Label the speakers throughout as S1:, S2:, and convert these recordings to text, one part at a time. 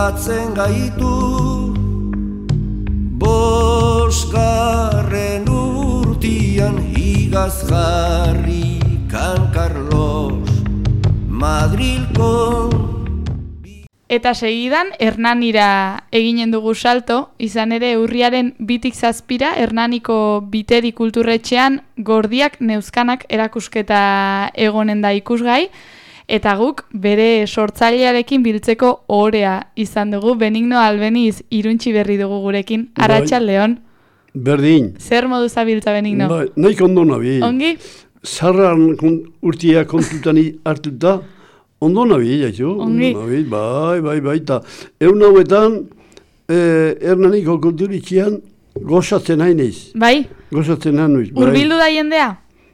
S1: batzen gaitu, bosgarren urtian higaz jarri Kan Carlos Madrilko.
S2: Eta segidan, Hernanira eginen dugu salto, izan ere urriaren 2-7 Hernaniko Biteri kulturretxean Gordiak Neuzkanak erakusketa egonen da ikusgai, eta guk bere sortzailearekin biltzeko ohorea izan dugu. Benigno Albeniz Iruntxi berri dugu gurekin. Arratsaldeon.
S3: Berdin.
S2: Zer modu zabiltza, Benigno?
S3: Naik ondo nabi.
S2: Ongi?
S3: Zarran urtia kontutan hartuta, ondo nabi, jaizu.
S2: Ongi.
S3: Bai, eta egun hauetan, Hernaniko kulturitxian gozatzen hainez.
S2: Bai?
S3: Gozatzen hainez.
S2: Urbildu da jendea?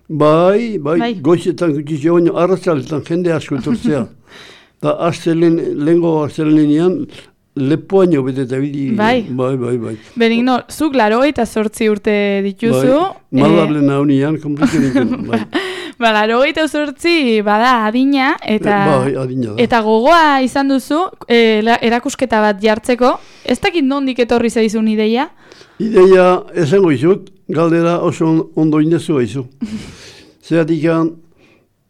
S3: Bai, goizetan gutxizio baino, arratzaletan jende asko etortzea. Da lehenko astelenean, lepoaino beteta bidi.
S2: Bai. Benigno, zuk 88 urte dituzu.
S3: Bai, maldarlena honian, komplikeritzen. Bai.
S2: 88 bada adina, eta,
S3: bai, adina da.
S2: Eta gogoa izan duzu, erakusketa bat jartzeko. Ez dakit nondik etorri zaizun ideia?
S3: Ideia esango izut, galdera oso ondo indezu haizu. Zeratik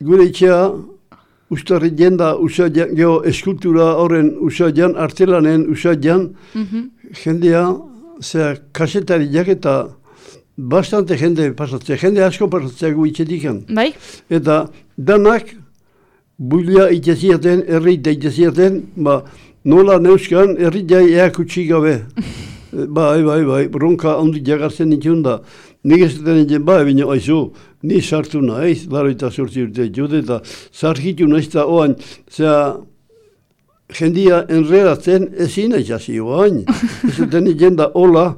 S3: gure itxea, ustarri jenda usaian, geho eskultura horren usaian, artelanen usaian, jendea, kasetariak eta bastante jende pasatzea, jende asko pasatzea gu itxetikan.
S2: Bai?
S3: Eta danak, bulia itxeziaten, errita itxeziaten, nola neuskan erritai eakutsi gabe. Bai, bronka ondi jagartzen ditun da. Nik ez duten egin, bine, aizu, ni sartu nahiz, 88 urte jode, eta sarkitu nahiz da oan, jendia enredatzen ezin aizazi oan. Ez duten egin da hola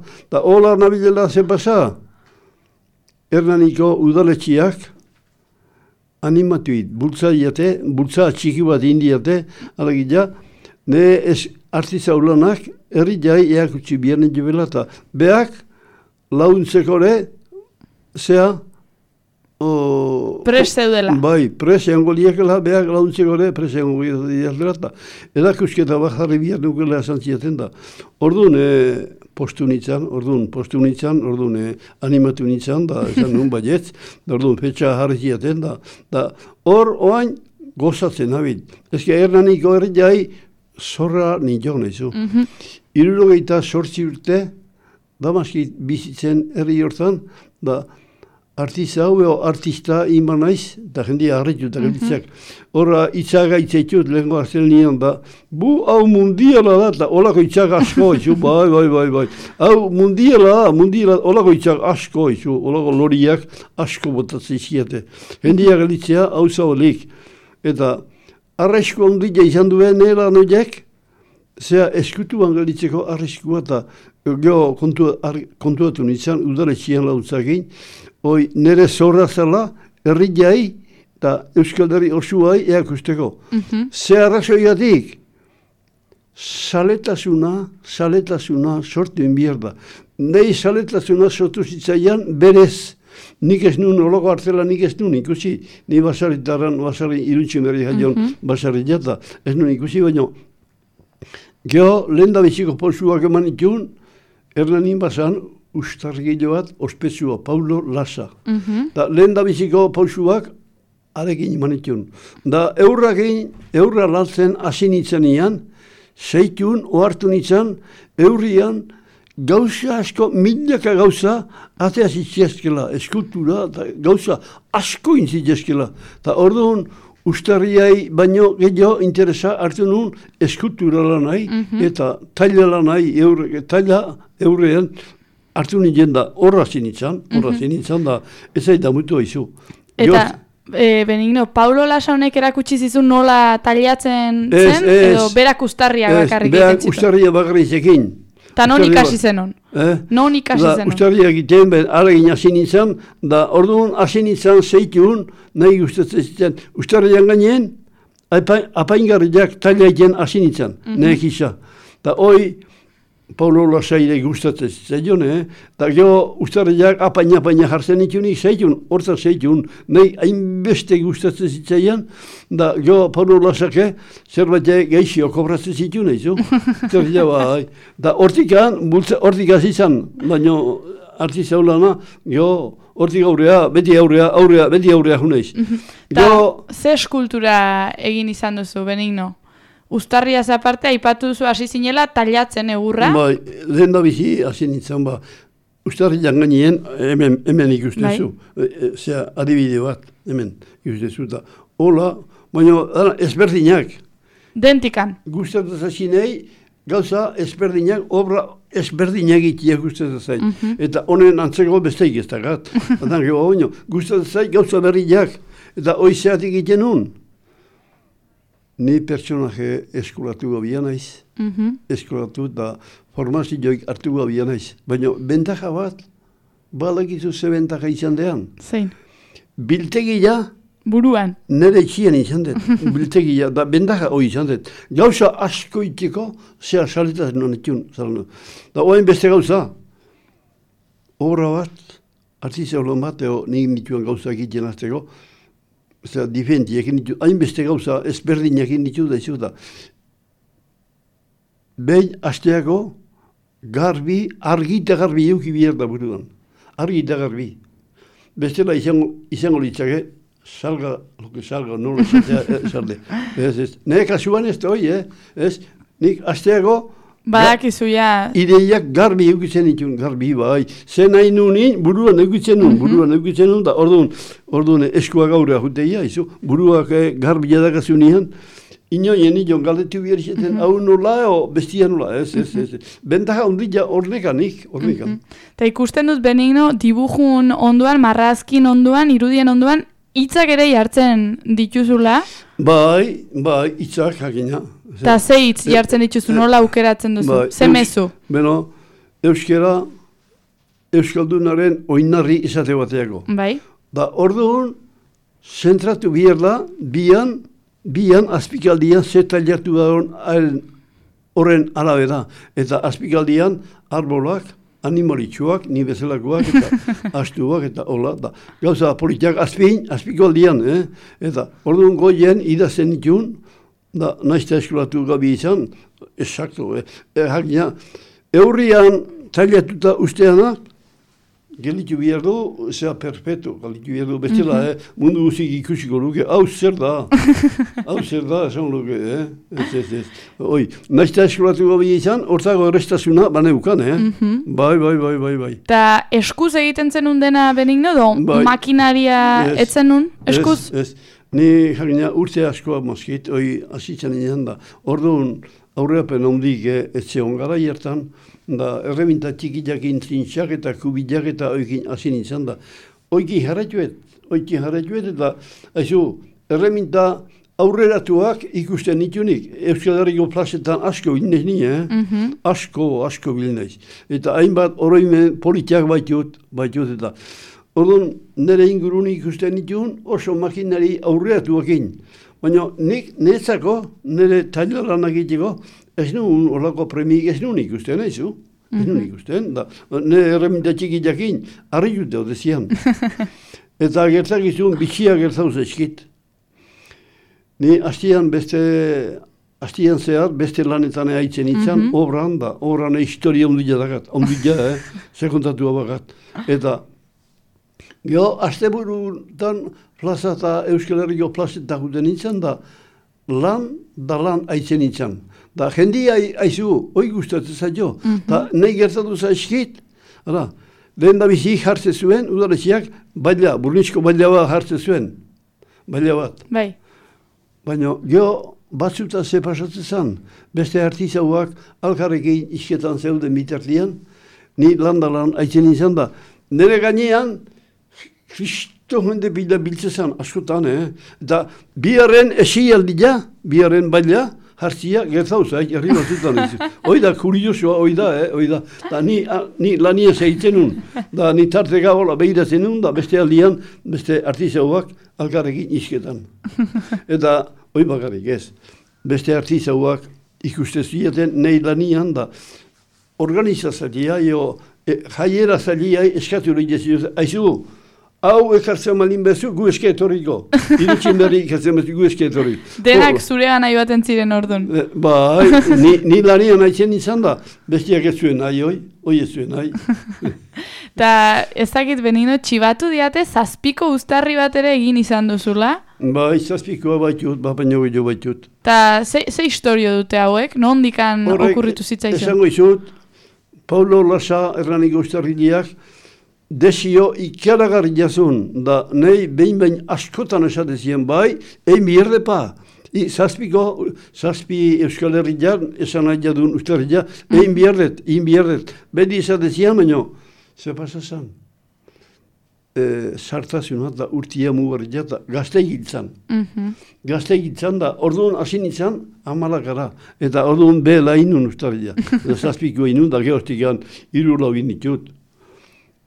S3: nabilela zen pasa. Hernaniko udaletxiak animatuit, bultza txiki bat indiate, alagila, ne artiza ulanak, herri jai eakutsi bianen jebela eta beak launtzekore
S2: pres zeudela.
S3: Bai, pres eango liekela, beak launtzekore pres eango liekela eta erakusketa bajarri bian nukela esan ziaten da. Orduan postu nintzen, animatu nintzen, da esan nun baietz, orduan petxa jarri ziaten da hor oain gozatzen abit. Ezke Hernaniko herri jai zorra nintzen nahizu. 78 urte, damaski bizitzen herri hortan, da artista inban naiz, eta jendia harritu eta gelditzak. Horra itzaga itzaitut lehenko hartzen nian da, hau mundiala da, eta olako itzaga asko izu, bai. Hau mundiala da, olako itzaga asko izu, olako loriak asko botatzen izkiate. Jendia gelditzea hau zaolik. Eta arresko ondila izan duen nela noiak, eskutuan gelditzeko arreskua eta geho kontuatu nintzen, udaletxian lautzakin, nire zorra zela, herri jai eta Euskal Herri osuai eakusteko. Ze arrazoiatik, saletasuna sortu inbier da. Nei saletasuna sortu zitzaian berez. Nik ez nun, olako artela nik ez nun ikusi, ni basari Iruntxi berri jaion basari jata, ez nun ikusi baino. Geho, lehen da biziko pausuak eman itun, Hernanin basan, ustargile bat, ospetsua, Paulo Lasa. Lehen da biziko pausuak, arekin eman itun. Da eurra lantzen hasi nintzen ian, zeitun, ohartu nintzen, eurrian, gauza asko, milaka gauza, atea zitziazkela, eskultura, gauza asko intzitziazkela. Eta orduan, ustarriai baino gehiago interesa hartu nun eskulturala nahi, eta tailala nahi, taila eurrean hartu nintzen da, horra zinitzan da, ez da mutu haizu.
S2: Eta, Benigno, Paulo Lasa honek erakutsi zizun nola tailatzen zen, edo berak ustarria bakarrik egiten zitu?
S3: Berak ustarria bakarrik ekin.
S2: Eta non ikasi zenon? Non ikasi zenon?
S3: Ustarriak egiten, alegin hasi nintzen, da orduan hasi nintzen zeitun, nahi gustatzen zitzen. Ustarrian gainen, apaingarriak taila egiten hasi nintzen, nahi gisa. Da hoi, Paulo Lasaire gustatzen zitzaion, eta gero ustarriak apaina jartzen itunik zeitun, horta zeitun, nahi hainbeste gustatzen zitzaian, da gero Paulo Lasake zerbait geixio kobratzen zitun, eizu? Da hortik azizan, baina artista ulana, gero hortik beti aurrea juneiz.
S2: Ze eskultura egin izan duzu, Benigno? Uztarriaz aparte, aipatu duzu hasi zinela tallatzen egurra?
S3: Bai, lehen da bizi hasi nintzen, Uztarrian gainien hemen ikustezu. Zea, adibide bat, hemen ikustezu. Hola, baina ezberdinak.
S2: Dentikan.
S3: Gustatzen zazinei, gauza ezberdinak, obra ezberdinak itiak gustatzen zain. Eta honen antzeko besteik ez dakat. Gustatzen zain gauza berriak, eta oizeatik egiten nun. Ni pertsonaje eskolatu gabia naiz, eskolatu eta formazioik hartu gabia naiz. Baina bentaja bat, balakizu ze bentaja izan dean.
S2: Zein?
S3: Biltegia,
S2: buruan.
S3: Nere itxien izan dut, biltegia, da bentaja hori izan dut. Gauza asko itiko, zea saletazen honetun. Da oain beste gauza, obra bat, artizia olon bat, nik nituen gauza egiten azteko, difentiak ditu, hainbeste gauza ezberdinak ditu da izu da. Behin asteako argi eta garbi euki bihar da buruan. Argi eta garbi. Bestela izango litzake, salga, nola esatea, Nire kasuan ez da hoi, nik asteako
S2: badakizu ja.
S3: Ideiak garbi eukitzen ditun, garbi bai. Zen nahi nunin, buruan eukitzen nun, da orduan eskua gaurea juteia, buruak garbi jadakazu nian, inoien nion galdetu behar izaten, hau nola, bestia nola, ez. Bentaja ondila ornekanik.
S2: Eta ikusten dut Benigno, dibujun onduan, marrazkin onduan, irudien onduan, hitzak ere jartzen dituzula?
S3: Bai, hitzak jakina.
S2: Eta ze hitz jartzen dituzu, nola aukeratzen duzu? Ze mezu?
S3: Beno, euskera, euskaldunaren oinarri izate bateako.
S2: Bai.
S3: Da orduan, zentratu bihar da, bian azpikaldian zetailertu da horren arabera. Eta azpikaldian arbolak, animalitxuak, ni bezalakoak, eta astuak, eta hola. Gauza politiak azpikaldian, eta orduan goien idazen ditun, da naizta eskolatu gabi izan, esakto, eurrian tailatuta usteanak, gelitu behar du, zera perpetu, gelitu behar du, bestela, mundu guzik ikusiko luke, hau zer da, esan luke, Oi, naizta eskolatu gabi izan, hortzago errestasuna baneukan, Bai.
S2: Ta eskuz egiten zenun dena Benigno, do makinaria etzen nun, eskuz?
S3: Ez. Ni jakina urte askoa moskit, azitzen inean da. Orduan aurreapen ondik etxe ongara jertan, da erreminta txikiak intrintxak eta kubiak eta oikin azin izan da. Oiki jarretuet, eta erreminta aurreratuak ikusten nitunik. Euskal Herriko plazetan asko bilnez ni, asko bilnez. Eta hainbat oroimen politiak baitut eta orduan, nire inguruni ikusten ditun oso makinari aurreatuakin. Baina nik netzako, nire tailaran egiteko, ez nuen olako premik ez nuen ikusten, Ez nuen ikusten, nire erreminta txikiakin, harri jute odezian. Eta gertakizun, bitxia gertauz eskit. Ni hastian zehar, beste lanetan haitzen itzan, obran historia ondila dakat, sekontatu abakat. Eta asteburutan plaza eta Euskal Herriko plazetak guten nintzen da lan haitzen nintzen. Da jendia haizu, hoi gustatzen zailo. Da nahi gertatu zaizkit, lehen da bizi jartzen zuen, udaletxeak, burnitzko baila jartzen zuen. Baila bat.
S2: Bai.
S3: Baina batzuta ze pasatzen zen, beste artizauak alkarrekin isketan zeuden bitartian, ni lan haitzen nintzen da. Nere gainean, Kristo hende biltzezan askotan, eta biaren esialdia, biaren baila, hartzia gertauza, herri batzutan. Hoi da, kuriosua, hoi da. Da ni lanien zeitzen nun, da ni tarte gabola behiratzen nun, da beste aldian, beste artizauak alkarrekin isketan. Eta hoi bakarrik ez, beste artizauak ikustezuiaten nahi lanian, da organizazailia, jaiera zailia eskatu hori jezio, aizu, hau ekartzen malin bezu, gu eske etorriko. Iritsin berri ekartzen bezu, gu eske etorriko.
S2: Denak zurea nahi baten ziren orduan.
S3: Bai, ni lanian haitzen izan da, bestiak ez zuen nahi, hoi ez zuen nahi.
S2: Ta ezakit Benigno, txibatu diate zazpiko uztarri bat ere egin izan duzula?
S3: Bai, zazpikoa baitut, baino gehiago baitut.
S2: Ta ze historio dute hauek? Nondikan okurritu zitzaizun?
S3: Esango izut, Paulo Lasa Hernaniko uztarrileak, desio ikaragarri jazun, da nahi behin askotan esatezien bai, egin bierde pa. Zazpi Euskal Herriak, esan nahi jadun ustarrilea, egin biardet. Bedi esatezian, baina, ze pasazan? Sartazioa da urtia mugarria da gazte egitzan. Gazte egitzan da, orduan hasi nintzen, amalakara. Eta orduan behela inun ustarrilea. Zazpiko inun da gehoztik egan, 3 lau ditut.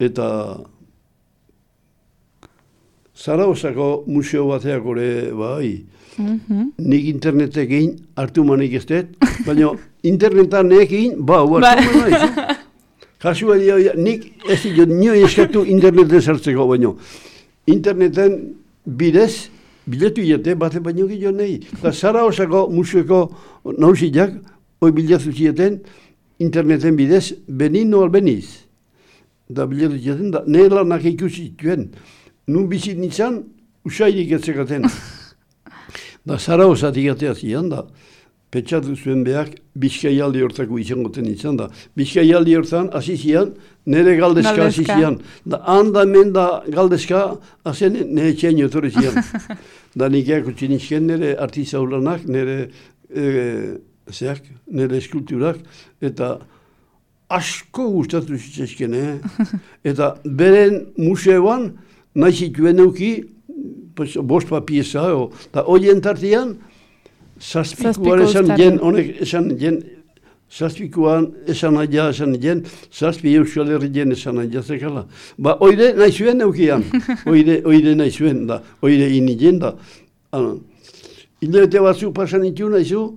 S3: Eta Zaragozako museo bateak ore, bai, nik internetek egin hartu manik ez dut, baina internetan egin, hartu manik. Kasua nik ez dut nio eskatu interneten sartzeko, baina interneten bidez, biletu jete, bate baino gehiago nahi. Da Zaragozako museoko nausiak, hoi bilatu zieten, interneten bidez, Benigno Albeniz. Da bilatu zieten, da nire lanak ikusi zituen. Nun bizit nintzen, usairik etzekaten. Da Zaragozatik atea zian, da pentsatu zuen behak Bizkaialdi hortako izangoten nintzen, da Bizkaialdi hortan hasi zian, nire galdezka hasi zian. Da handa hemen da galdezka, hazen nire txaino etorri zian. Da nik eakutsi nizken nire artizaulanak, nire eskulturak, eta asko gustatu zitzezken, Eta beren museoan, nahi zituen euki, 5 pieza, eta horien tartean, zazpikuan esan jen, honek esan jen, zazpikuan esan jen, zazpi Euskal Herrien esan aia zekala. Ba, oire nahi zuen eukian, oire nahi zuen, da, oire ini jen, da. Hilabete batzuk pasan itu nahi zu,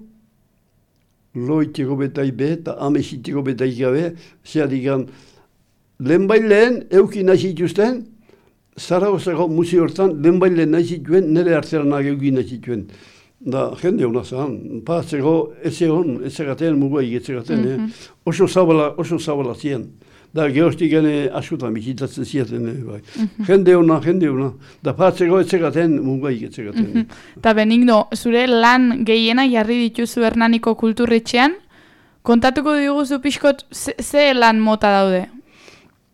S3: loiteko betai be, eta amesiteko betai gabe, zeharikan, lehen euki nahi zituzten, Zaragozako museo hortan, lehen nahi zituen, nire hartzeranak euki nahi zituen. Da, jende hona zan, patzeko ez egon, ez egaten, muguai ez egaten, oso zabala ziren. Da, gehoztik gane askotan bizitatzen ziaten, bai. Jende hona, da patzeko ez egaten, muguai ez egaten.
S2: Ta Benigno, zure lan gehiena jarri dituzu Hernaniko kulturretxean, kontatuko diguzu pixkot, ze lan mota daude?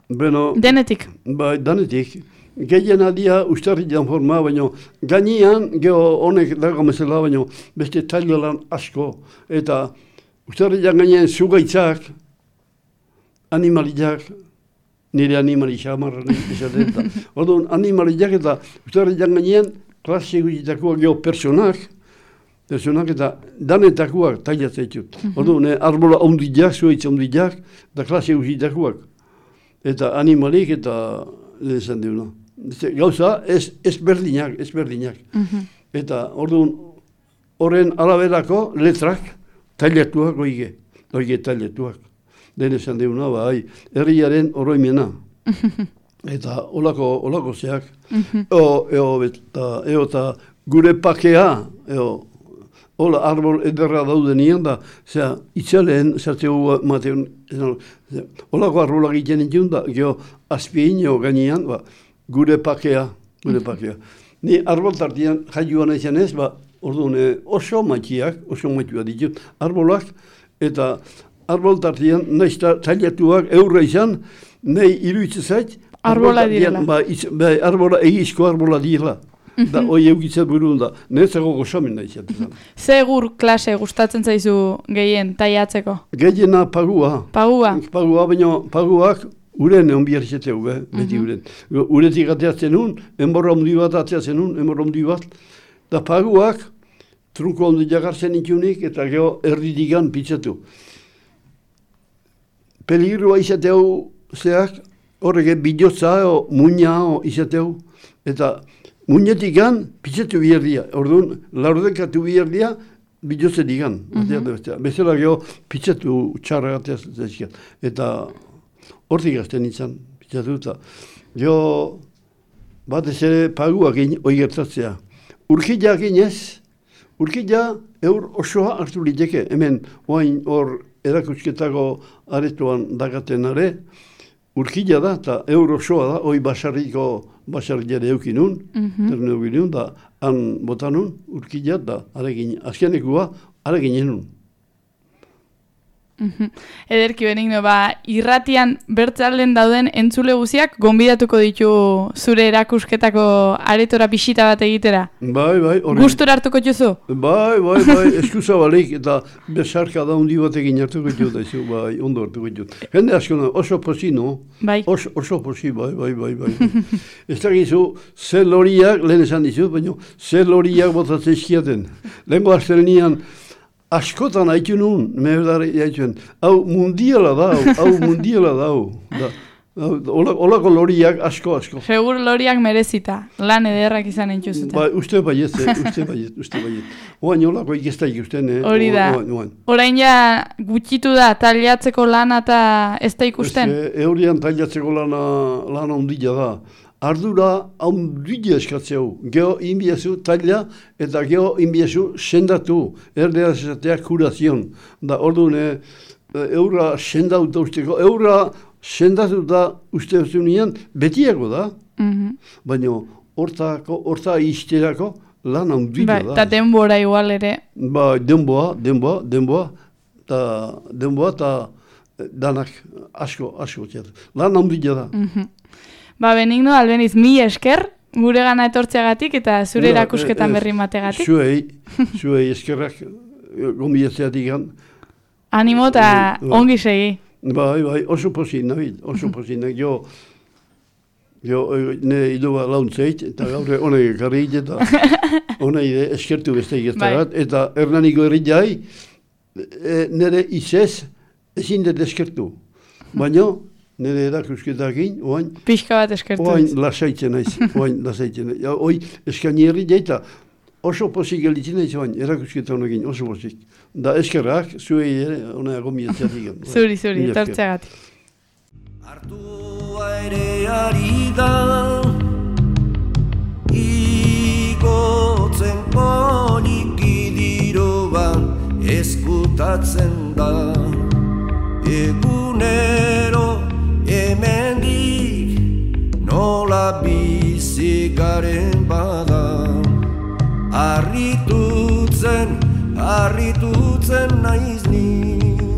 S3: Bueno,
S2: denetik?
S3: Bai, denetik. Gehien adia ustarrilean forma, baina gainean, geho honek dago mesela, baina beste tailolan asko. Eta ustarrilean gainean zugaitzak, animaliak, nire animalia amarran esaten. Orduan, animaliak eta ustarrilean gainean klase guztitakoak geho personak eta danetakoak tailatzea. Orduan, arbola ondiak, zuaitza ondiak, eta klase guztitakoak. Eta animalik eta lehenzan deuna. Gauza, ez berdinak. Eta orduan, horren araberako letrak tailatuak oige tailatuak. Lehenzan deuna, bai, herriaren oroimena. Eta olako zeak. Eta gure pakea, hola, arbol ederra daudenian da, itxaleen, zartzegu mateun, holako arbolak egiten ditun da, geho, azpieino gainean, gure pakea. Ni arbol tartian jaioan izan ez, orduan oso maitxua ditut, arbolak, eta arbol tartian, nahiz tailatuak eurra izan, nahi iruditzen zait,
S2: arbola direla.
S3: Arbola, egizko arbola direla. Da, hoi eukitzat burun da, netzako gozamen da izatetan.
S2: Zegur klase gustatzen zaizu gehien, taiatzeko?
S3: Gehiena pagua.
S2: Pagua?
S3: Pagua, baina paguak uren egon bihar izateu, beti uren. Uretik ateatzen nun, enborra ondi bat, da paguak trunko ondi jagartzen itunik eta geho erdidigan pitzatu. Peligrua izateu zeak, horrek bidotza o muina izateu, eta muñetikan pitzatu biherdia. Orduan, laurdekatu biherdia, bilotzen digan. Bezala geho, pitzatu txarra gateaz zaizkiat. Eta hortik gazten nintzen, pitzatu eta. Geho, batez ere paguak hoi gertatzea. Urkilak inez, urkila eur osoa hartu liteke. Hemen, oain hor erakusketako aretoan dagaten are, urkila da, eta eur osoa da, hoi basarriare eukinun, ternu eukinun, da han botanun, urkila da, azkenekua, aregin enun.
S2: Ederki Benigno, irratian bertzalden dauden entzule guziak gonbidatuko ditu zure erakusketako aretora bisita bat egitera.
S3: Bai.
S2: Gustora hartuko juzu?
S3: Bai, eskuza balik eta besarka da hundi batekin hartuko jut, bai, ondo hartuko jut. Jende asko, oso posi, no?
S2: Bai.
S3: Oso posi, bai. Ez da gizu, zer loriak, lehen esan dizu, baina zer loriak botatzen eskiaten. Lehenko azten nian, askotan haitu nun, meherdari haituen, hau mundiala da. Olako loriak asko.
S2: Segur loriak merezita, lan ederrak izan entzuzuta.
S3: Ba, uste baiet. Oain olako ikestak ikusten,
S2: Hori da. Orain ja gutxitu da taliatzeko lana eta ez da ikusten?
S3: Eurian taliatzeko lana ondila da. Ardura haundila eskatzeu. Geho inbiezu talia eta geho inbiezu sendatu. Erderaz esatea kurazion. Da orduan eura sendauta usteko. Eura sendatuta uste zunean betiago da. Baina horta izterako lan haundila da.
S2: Eta denbora igual ere.
S3: Ba, denboa. Eta danak asko txatu. Lan haundila da.
S2: Benigno, albeniz, mi esker, gure gana etortzeagatik eta zure erakusketan berri mategatik.
S3: Zuei eskerrak gombidetzeatik gan.
S2: Animo eta ongi segi.
S3: Bai, oso posin, Nabil, oso posin. Jo, ne idoba launtzeit, eta gaur honek garrit, eta honek eskertu beste egiztagat, eta Hernaniko herriai, nire izez, ezin dut eskertu. Baina, nire erakusketakin, oain...
S2: Pixka bat eskertu.
S3: Oain lasaitzen naiz, Hoi eskani herriai, eta oso posik gelditzen naiz, oain erakusketa honekin, oso posik. Da eskerrak, zuei ere, honek gombidetzeatik.
S2: Zuri, etortzeagatik.
S1: Artua ere ari da, igotzen poliki diroa eskutatzen da. Egunero hemendik nola bizi garen bada. Harritutzen naiz ni.